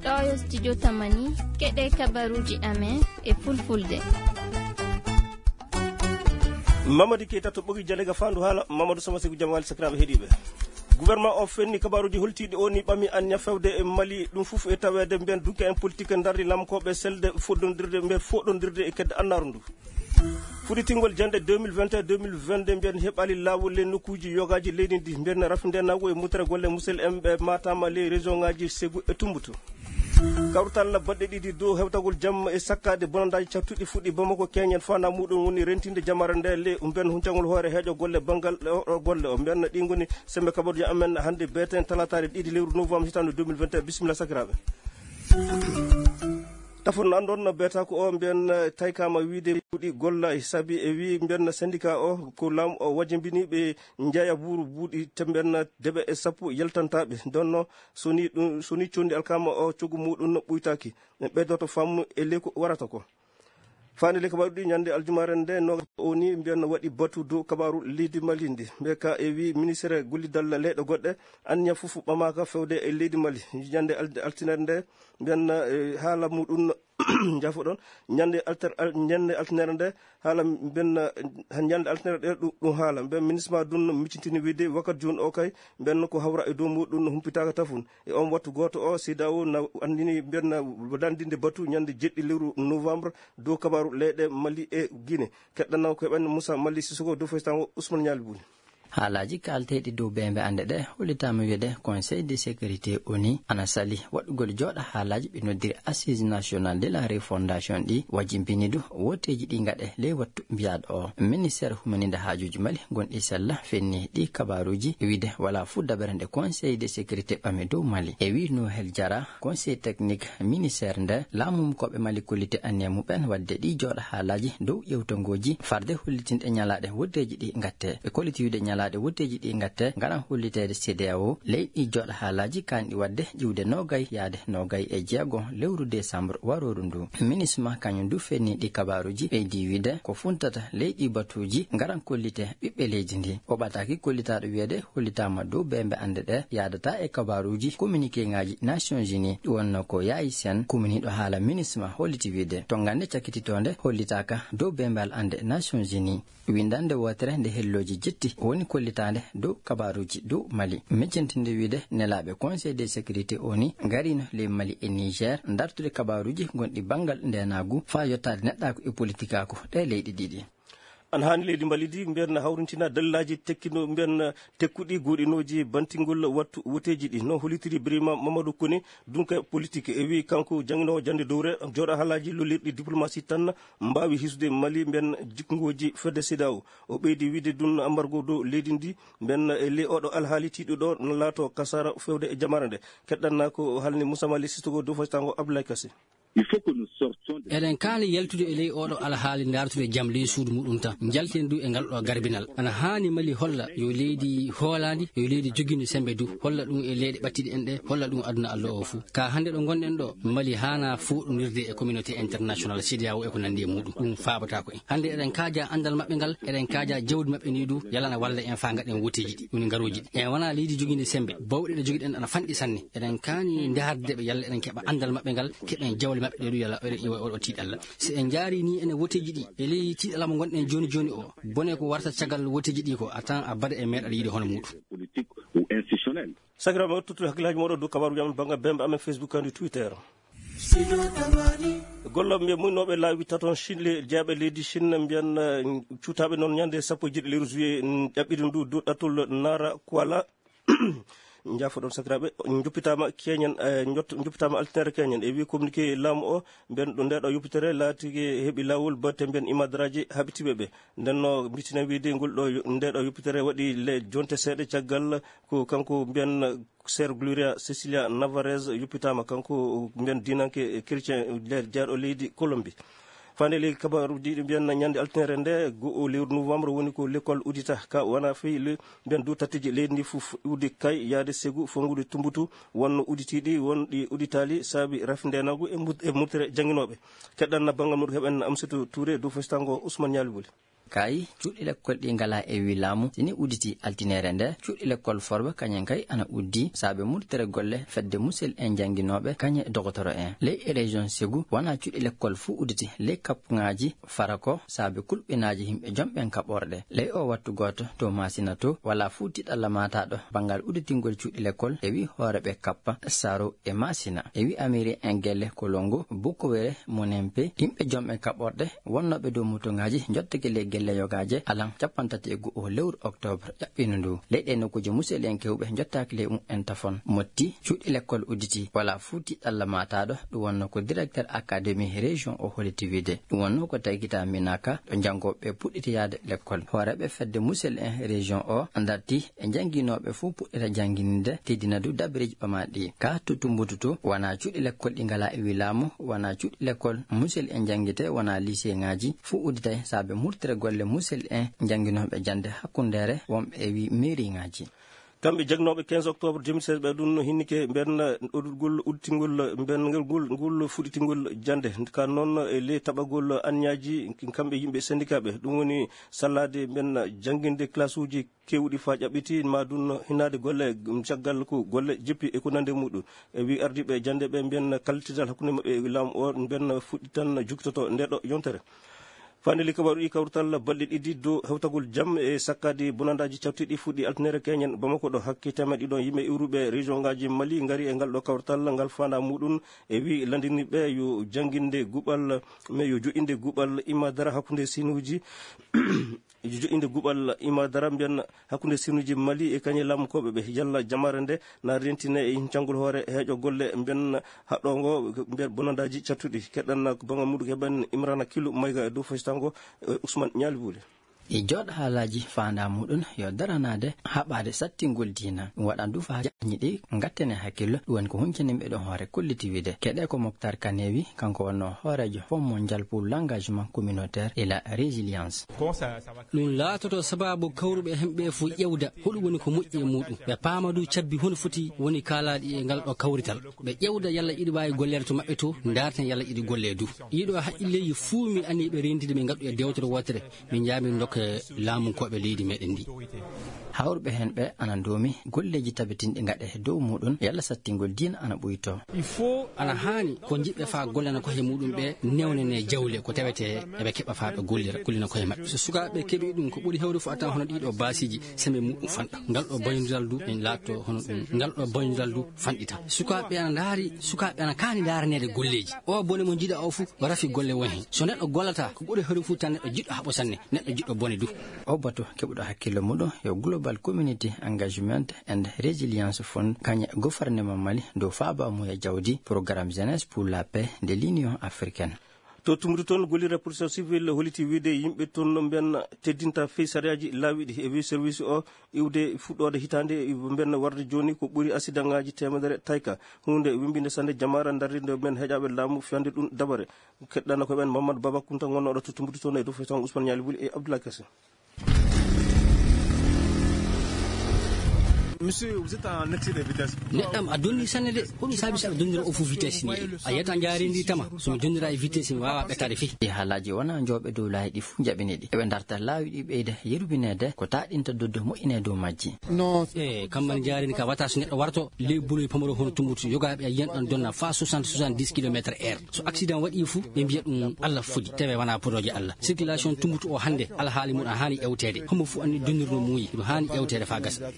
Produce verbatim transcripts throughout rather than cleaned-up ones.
Ɗo yo studio Tamani, keɗe kabaruji amen e fulfulde. Mamadi Keita to ɓogi Jalega fandu haala, Mamadou Sama Segu Jamali sakiraɓe heɗiɓe. Gouvernement o fenni kabaruji holtiɗi o ni ɓami anniya fewde e Mali, ɗum fof e tawede mbiyen dunke en politique darri lamkoɓe selde foɗɗodirde mbiyen foɗɗodirde e kedde annaru ndu. Fuɗɗitingol jande deux mille vingt et un deux mille vingt-deux mbiyen heɓali lawol e nokkuji yogaji leydi ndi mbiyen rafinde nago e mutere golle musel en ɓe matama ley région ngaji Segu e Tumbutu. Kawrital baɗɗe ɗiɗi dow hewtagol jam e sakkade bonandaji cattuɗi fuɗɗi Bamako keñen fana muɗum woni rentinde jamare nde le mbiyen huncagol hoore heeƴo golle banngal o golle o mbiyen ɗi ngoni sembe kabaruji amen hande beten talatare ɗiɗi lewru novembre hitande deux mille vingt et un. Bisimilla sakiraɓe. Tafon andon no beta ko o mbiyen taykama wiide ɗi golla e sabi e wi mbiyen syndicat o ko lam o wajimbini ɓe jeeya buuru buuɗi tembenna deɓe e sappo yaltantaɓe donno soni ɗum soni condi alkama o coggu muɗum no ɓuytaki ɓe ɓeydoto fammu e ley ko warata ko. Fani ley kabaru ɗi ñande aljumare nde no o ni mbiyan waɗi batu dow kabaru leydi mali ndi mbe ka e wi ministére gollidal leyɗe goɗɗe anniya fof ɓamaka fewde e leydi mali. Ñande al- altinere nde mbiyan eh, haala muɗum jafo ɗon ñande alter al- ñande altinere nde haala mbiyan eh, ñande altinere ɗe ɗum ɗum haala mbiyan ministre ma ɗum miccintini wiide wakkati joni o kay mbiyan ko hawra e dow muɗum humpitaka tafun e on wattu goto o sidawo na andini mbiyan na dandinde batu ñande jeɗɗi lewru novembre dow kabaru leyɗe mali e guine. Keɗɗannaw ko heɓen moussa mali sisoko dow faysango ousmane ñali buli. Haalaaji kaalteeɗi dow beembe annde ɗe hollitaama wiyeede conseil de sécurité oni ana sali waɗugol jooɗa haalaaji ɓe noddiri assise nationale de la refondation ɗi wajimbini du woteeji ɗi ngaɗe ley wattu mbiyaaɗo o. Ministére humaninde haajuuji mali gonɗi sella fenni ɗi kabaaruuji wiide walaa fuu dabere nde conseil de sécurité ɓami dow mali e wii nohel jara conseil technique ministére nde laamumkooɓe mali kollite anniya muɓen waɗde ɗi jooɗa haalaaji dow ƴewtongooji farde hollitinɗe ñalaaɗe wotteeji ɗi ngatte. Ɓe kolliti wiide ñalaaɗe wotteeji ɗi ngatte ngaran holliteede cdao ley ɗi jooɗa haalaaji kanɗi waɗde ƴiwde nogay yaade nogay e jeego lewru décembre warooru ndu. Minisma kañum du fenni ɗi kabaaruuji ɓeydi wiide ko funtata ley ɗi batuuji ngaran kollite ɓiɓɓe leydi ndi. O ɓataaki kollitaaɗo wiyeede hollitaama dow beembe annde ɗe yaadata e kabaaruuji communiqué ngaaji nations unis ɗi wonno ko yaayi sen communiɗo haala minisma holliti wiide to ngannde cakkititonde hollitaaka dow beembal annde nations unis. Winndannde wootere nde hellooji jetti woni kollitaande dow kabaaruuji dow mali miccintinde wiide nelaaɓe conseil de sécurité oni ngarino ley mali e niger dartude kabaaruuji gonɗi banngal ndenaagu faa yottaade neɗɗaaku e politikaaku ɗe leyɗe ɗiɗi. Ana haani leydi mbalidi mbiyen hawrintina dallaaji tekkino mbiyen tekkuɗi goɗinooji bantingol wattu woteeji ɗi no holitiri birima mamadou koni dunka politique e wi kanko janginowo jande dowre jooɗa haalaaji lollirɗi diplomasi tan mbaawi hisude mali mbiyen jikngooji fedde sida o. O ɓeydi wiide dun ambargo dow leydi ndi mbiyen e ley oɗo alhaali tiiɗuɗo no laato kasara fewde e jamare nde. Keɗɗanna ko halni musamali sistogo dow faytango abdoulaye kasi. Eɗen kaani yaltude e ley oɗo alhaali daartude jam ley suudu muɗum tan njalten du e ngal ɗo garbinal ana haani mali holla yo leydi hoolaandi yo leydi jogiindi sembe du holla ɗum e leyɗe ɓattiɗe en ɗe holla ɗum aduna allah o fuu ka hannde ɗo ngonɗen ɗo mali haana fooɗondirde e communauté international cdao e ko nanndi e muɗum ɗum faabatako en hannde eɗen kaaja anndal maɓɓe ngal eɗen kaaja jawdi maɓɓe ndi du yalana walla en faa ngaɗen woteeji ɗi woni ngarooji ɗi en wona leydi jogiindi sembe bawɗe ɗe jogiɗen ana fanɗi sanne eɗen kaani ndaarde ɓe yalla eɗen keɓa anndal maɓɓe ngal keɓen jawle maɓɓe ɗe ɗum yalla oɗo iwa oɗo tiiɗalla si en njaari ni ene woteeji ɗi e ley tiiɗalla mo ngonɗen jooni jooni o bone ko warta caggal woteeji ɗi ko a tan a bada e meeɗal yiide hono muɗum. Politique ou institutionnel. Sakiraɓe o tottude hakkillaaji moɗo dow kabaruji amen banngal bembe amen facebook kandi twitter. Gollo mbiye muynooɓe laawi taton chine le jeeɓe leydi chine mbiyan cuutaaɓe noon ñande sappo e jeeɗi lewru juillet ƴaɓɓiɗi ndu dow ɗattol nara kuala. Njafoɗon sakiraaɓe joppitaama keñen joppitaama altinere keñen e wi communiqué laamu o mbiyen ɗo ndeɗo yoppitere laatike heɓi laawol batte mbiyen imadraji haɓitiɓe ɓe. Ndenno mbitina wiide ngol ɗo ndeɗo yoppitere waɗi le jonte seeɗa caggal ko kanko mbiyen ser gloria cecilia navarez yoppitaama kanko mbiyen dinanke chrétien nder jeeɗo leydi colombie. Fande ley kabaruji ɗi mbiyanna ñande altinere nde go'o lewru novembre woni ko l'école audita ka wona fii le mbiyan dow tatteji leydi ndi fof uddi kay yaade segu fongude tumbutu wonno uditiɗi wonɗi uditali saabi rafi ndenagu e mut- e mutere janginoɓe. Keɗɗanna banngal muɗum heɓen amsatou touré dow festango ousmane ñaali boli. Kayi cuuɗi lekkol ɗi ngalaa e wii laamu, si ni udditi altineere nde, cuuɗi lekkol Forba kañen kay ana uddi saabe murtere golle fedde musel en jannginooɓe kañe dogotoro en. Ley e région Segu, wonaa cuuɗi lekkol fuu udditi ley kappuŋaaji fara ko saabe kulɓinaaji yimɓe jomɓen kaɓorɗe. Ley o wattu gooto to Maasina to, walaa fuu tiɗalla maataaɗo banngal udditingol cuuɗi lekkol e wii hoore ɓe kappa Saro e Maasina. E wii Amiri en gelle Kolongo, Bukowere, Monempe, yimɓe jomɓen kaɓorɗe wonnooɓe dow motoŋaaji njottake ley gelle yogaaje alan cappanɗe tati e go'o lewru oktoobar ƴaɓɓiino ndu. Ley ɗee nokkuuje musel en kewɓe njottaaki ley mumen tafon. Motti, cuuɗi lekkol udditi, walaa fuu tiɗalla maataaɗo. Ɗum wonnoo ko directeur académie région o holiti wiide. Ɗum wonnoo ko tagitaa Minaka ɗo janngooɓe puɗɗiti yahde lekkol. Hooreeɓe fedde musel en région o darti e jannginooɓe fuu puɗɗita jannginde, teddina du dabareeji ɓamaaɗi ɗi. Ka to Tumbutu to, wonaa cuuɗi lekkol ɗi ngalaa e wii laamu, wonaa cuuɗi lekkol musel en janngite, wonaa liseŋaaji, fuu udditay saabe murtere golle musel en jannginooɓe jannde hakkundeere, wonɓe e wii meeriŋaaji. Kamɓe jagnooɓe quinze octobre deux mille seize ɓe ɗum no hinnike mbenna oɗurgol udditingol mbenngol ngol, ngol fuɗɗitingol jannde. Ka noon e ley taɓagol anniyaji kamɓe yimɓe syndicat ɓe, ɗum woni sallaade mbenna jannginde classe uji keewɗi faa ƴaɓɓiti, ma ɗum hinaade golle caggal ko golle jippi e ko nande muɗum. E wi ardiiɓe jannde ɓe mbiyen kallitidal hakkunde maɓɓe e laamu o mbiyen fuɗɗitan juktoto nde ɗo yontere. Fande li kabaru ɗi kawrital balɗe ɗiɗi dow hewtagol jam e sakkaade bonandaaji cawtiiɗi fuɗɗi altinere keñen Bamako ɗo. Hakke teemeɗɗe ɗiɗo yimɓe iwruɓe région ngaji Mali ngari e ngal ɗo kawrital ngal faanda muɗum e wi landiniɓe yo jannginde guɓal, mais yo joƴƴinde guɓal imadara hakkunde sinuuji joƴƴinde guɓal imadara mbiyen hakkunde sinuuji Mali e kañe laamu koɓe ɓe yalla jamaare nde na rentine e hincangol hoore heeƴo golle mbiyen haɗɗo ngo mbiyen bonandaaji cattuɗi. Keɗɗan ko banga muɗum heɓen Imrana Killu Mayga e dow fasitango e Ousmane Ñaali Buule. E jooɗo haalaaji faandaa muɗum yo daranaade haɓaade sattingol diina. Ɗum waɗan du faa jañi ɗi ngattene hakkillo, ɗum woni ko huncani mbeɗon hoore kolliti wiide. Keɗe ko Moctar Kanewi, kanko wonno hooreejo Fonds Mondial pour l'Engagement Communautaire et la Résilience. Ɗum laatoto sababu kawruɓe hemɓe fof ƴewda hoɗum woni ko moƴƴi e muɗum. Ɓe paama du cabbi hono foti woni kaalaaɗi e ngal ɗo kawrital. Ɓe ƴewda yalla iɗi waawi golleede to maɓɓe to, ndaarten yalla iɗi golle du. Ɗiɗo haqqilleeji fuu mi anni ɓe renndide ɓe ngaɗu e dewtere wootere. Min njaami ndokke laamunkooɓe leydi meɗen ndi. Hawruɓe heen ɓe ana ndoomi golleeji tabitinɗi ngaɗe dow muɗum yalla sattingol diina ana ɓuyto. Ana haani ko njiɗɓe faa gollana koye muɗum ɓe newnene jawle ko tawete eɓe keɓa faa ɓe gollira, gollina koye maɓɓe. So sukaaɓe keɓi ɗum ko ɓuri hewde fof a tan hono ɗiɗo baasiiji sembe muɗum fanɗa. Ngal ɗo bonondiral du en laatto hono ɗum. Ngal ɗo bonondiral du fanɗita. Sukaaɓe ana ndaari, sukaaɓe ana kaani ndaaraneede golleeji. O bone mo njiɗa o fof rafi golle won heen. So neɗɗo gollata ko ɓuri hewde fof tan neɗɗo jiɗɗo haɓo sanne, neɗɗo jiɗɗo bone du. O batu keɓuɗo hakkillo muɗum yo Global Community Engagement and Resilience Fund, kañe gouvernement Mali dow faabaamuya jawdi Programme Jeunesse pour la Paix de l'Union Africaine. To Tumbutu toon, gollirde protection civil holliti wiide yimɓe toon no mbiyen teddinta fey sariyaaji laawiɗi e wi service o iwde fuɗɗoode hitaande mbiyen warde jooni ko ɓuri accident ŋaaji teemedere tayka. Huunde wemmbinde sanne jamaare darnde mbiyen heeƴaaɓe laamu fiyande ɗum dabare. Keɗɗana ko ɓen Mamadou Baba Kunta gonnooɗo to Tumbutu toon e dow fey tan Ousmane Ñaali Buli e Abdoulaye Kese. Monsieur, vous êtes en excès de vitesse. Neɗɗam a donni sanne de, ko ɗum saabi saɗa donnira o fof vitesse ni. A yiyata njaarindi tama, so mi donnira e vitesse mi waawa ɓettaade fii. Ɗi haalaaji wona njooɓe dow laayi ɗi fof njaɓini ɗi. Eɓe darta laawi ɗi ɓeyda yerwineede ko taaɗinta doddo moƴƴine dow majji. E kammal njaarindi ka wata so neɗɗo warto ley boloy pamaro hono Tumbutu, yogaaɓe a yiyan ɗon donna fa soixante, soixante-dix kilomètres heure. So accident waɗi fof ɓe mbiya ɗum Allah fodi, tawi wona podooje Allah. Circulation Tumbutu o hannde alhaali mum a haani ƴewteede. Homo fof anndi donnirno muuyi, ɗum haani ƴewteede faa gasa.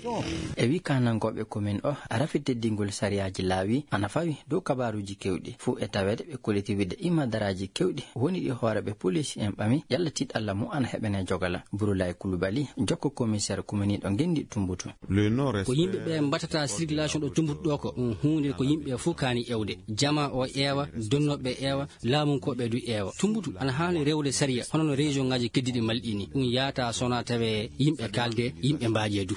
E wi kaanankooɓe commune o, rafi teddingol sariyaaji laawi ana fawi dow kabaaruuji keewɗi. Fof e taweede ɓe kolliti wiide imadaraaji keewɗi woni ɗi hooreeɓe police en ɓami yalla tiiɗalla mum ana heɓene jogala. Burulaay Kulubali, jokko commissaire commune ɗo ngenndi Tumbutu. Ko yimɓe ɓe mbaɗata circulation ɗo Tumbutu ɗo ko ɗum huunde ko yimɓe fof kaani ƴewde. Jama o ƴeewa, donnooɓe ɓe ƴeewa, laamunkooɓe du ƴeewa. Tumbutu ana haani rewde sariya hono no région ŋaaji keddiiɗi Mali ɗi ni. Ɗum yaata so wonaa tawe yimɓe kaalde, yimɓe mbaajee du.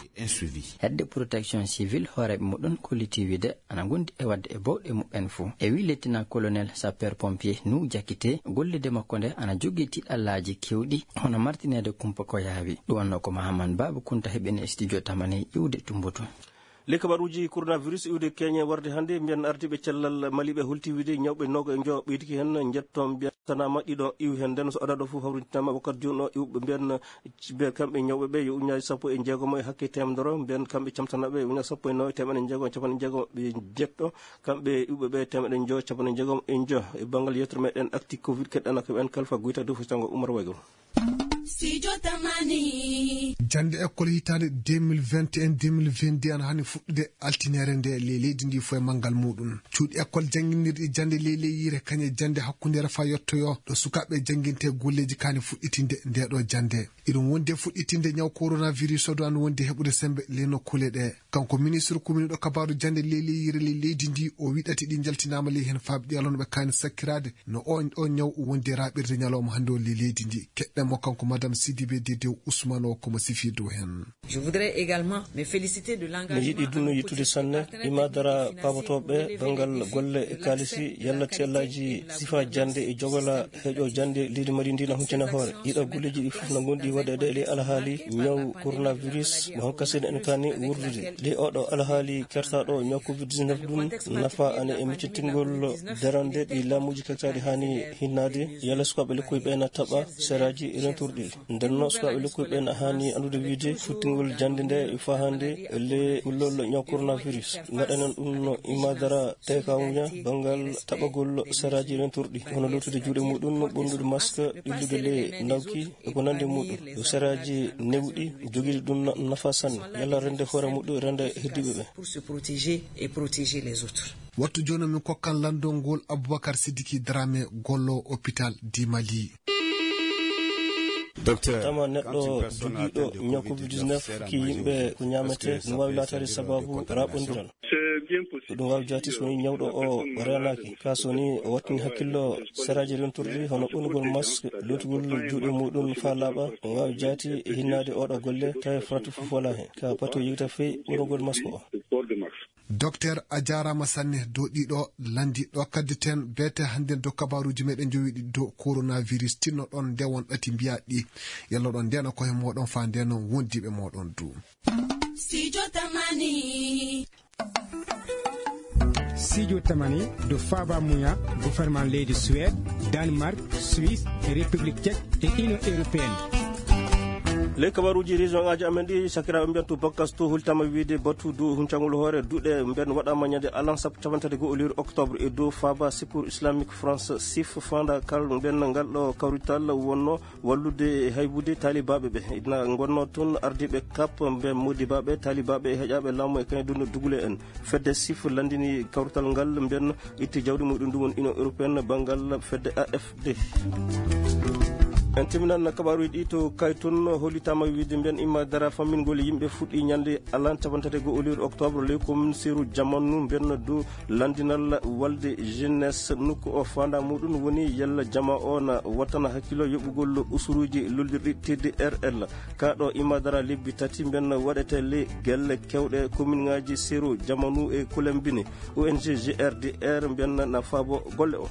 Hedde protection civile hooreeɓe muɗum kolliti wiide ana ngondi e waɗde e bawɗe muɓɓen fof. E wi lieutenant colonel sapeur pompier Nuhu Jakite, gollirde makko nde ana jogii tiiɗallaaji keewɗi hono martineede kumpa ko yaawi. Ɗum wonnoo ko Mahaman Baba Kunta heɓini e studio Tamani iwde Tumbutu. Ley kabaruuji coronavirus iwde Keñe warde hannde, mbiyen ardiiɓe cellal Mali ɓe holti wiyde ñawɓe noogayo e njoyo ɓeydike heen, njetto mbiyen tanaama ɗiɗo iwi heen. Nden so adado fof hawrintinaama wakkati jooni o, iwɓe mbiyen, mbiyen kamɓe ñawɓe ɓe yo ujunnaaji sappo e jeegom e hakke teemedere, mbiyen kamɓe camtanaaɓe yo ujunnaaji sappo e nayi teemedde jeegom e capanɗe jeegom e jeetto, kamɓe iwɓe ɓe teemedde njoyo capanɗe jeegom e njoyo. E banngal yewtere meɗen actu covid keɗɗana ko ɓen kalfa guyta dow fustango Umar Waygol. Studio Tamani. Jannde école hitaande deux mille vingt et un deux mille vingt-deux ana hani fuɗɗude altineere nde ley leydi ndi fof e manngal muɗum. Cuuɗi école jannginirɗi jannde ley leyyiire kañe jannde hakkundeere faa yettoyoo ɗo sukaaɓe jannginte golleeji kaani fuɗɗitinde nde ɗo jannde. Iɗum wondi e fuɗɗitinde ñaw coronavirus o ɗo ana wondi heɓude semmbe ley nokkuule ɗe. Kanko ministre kuminiiɗo kabaaru jannde ley leyyiire ley leydi ndi, o wiɗati ɗi njaltinaama ley heen faaɓi ɗi alano ɓe kaani sakkiraade no oon ɗo ñaw wondi e raaɓirde ñalawma hannde o ley leydi ndi. Keɗɗen mo kanko Madame Sidibé Dédé Ousmane o ko mo sifii dow heen. Je voudrais également me féliciter de l'engagement. Mi yiɗi dunno yittude sanne imaadara paabotooɓe banngal golle e kaalisi, yalla tellaaji sifa jannde e jogola heƴo jannde leydi Mali ndi na huncana hoore. Ɗiɗo golleeji ɗi fof na ngondi waɗeede e alhaali ñaw coronavirus mo hankasino en kaani wurdude. Ɗi oɗo alhaali kertaaɗo ñaw covid dix-neuf ɗum nafa ane e miccitingol darande ɗi laamuuji kaktaaɗi haani hinnaade, yalla sukaaɓe lekkoy ɓe na taɓa seraaji rentorɗi. Ndenno sukaaɓe lekkoy ɓe na haani anndude wiyde futtingol jannde nde fahaande le kullol ñaw coronavirus. Ngaɗanen ɗum no imaadara teekawuña banngal taɓagol seraaji rentorɗi, hono lootude juuɗe muɗum, ɓornude masque, ɓillude le ndawki, e ko nandi muɗum. Yo seraaji newɗi jogiiɗi ɗum na-, nafa sanne. Yalla rende hoore muɗum, rende heddiiɓe ɓe. Pour se protéger et protéger les autres. Wattu jooni min kokkan lanndol ngol Aboubacar Sidiki Dramé, gollo hôpital di Mali. Docteur, tama neɗɗo jogiiɗo ñaw covid dix-neuf ki yimɓe ko ñaamete no waawi laataade sababu raɓondiral. Ɗum waawi jaati so woni ñawɗo o reenaaki. Ka so woni o wattini hakkillo seraaji rentorɗi hono ɓornugol masque, lootugol juuɗe muɗum faa laaɓa, ɗum waawi jaati e hinnaade oɗo golle, tawi farata fof wala heen. Ka pati o yewta fey ɓornugol masque o. Docteur, a jaaraama sanne dow ɗiɗo lanndi ɗo kaddeten beete hannde dow kabaruuji meɗen jowiɗi dow coronavirus. Tinno ɗon nde won ɗati mbiya ɗi. Yalla ɗon ndena koye moɗon faa ndena wondiiɓe moɗon du. Studio Tamani. Studio Tamani do Faba Muya, gouvernement leydi Suède, Danemark, Suisse, République Tchèque et Union Européenne. Ley kabaruuji région ŋaaji amen ɗi, sakiraaɓe mbiyan to Bakasto hultama wiide batu dow huncangol hoore duɗe mbiyan waɗama ñande alan sappo capantati goo lewru octobre e dow Faba Secours Islamique France, sif, fanda kal mbiyan ngal ɗo kawrital wonno wallude e haybude taalibaaɓe ɓe. Ina ngonnoo toon ardiiɓe kap, mbe modibaaɓe, taalibaaɓe e heƴaaɓe laamu e kañum dugule en. Fedde sif lanndini kawrital ngal, mbiyen itti jawdi muɗum, ɗum woni Union Européenne, banngal fedde A F D. En timminan kabaaruuji ɗi to Kaytun, hollitaama wiide mbiyen imma dara fammingol yimɓe fuɗɗi ñannde alan cappanɗe tati e goo lewru octobre, ley commune Seeru Jamanu, mbiyen du lanndinal walde jeunesse nokku o faandaa muɗum woni yalla jama o na wattana hakkilo yoɓugol usuruuji lollirɗi T D R L. Ka ɗo imma dara lebbi tati mben waɗete ley gelle kewɗe commune ŋaaji Seeru Jamanu e Kolembini. O N G G R D R mbiyan na faabo golle o.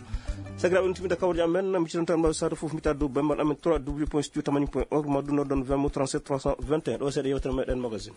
Sakiraaɓe, on timmita kawri amen, mi citanto Amadou Sadio fof mbita dow bemmal amen trois W point studio tamani point org, ma ɗum noddon vingt mo trente-sept trois cent vingt et un. Ɗo seeɗa yewtere meɗen magazine.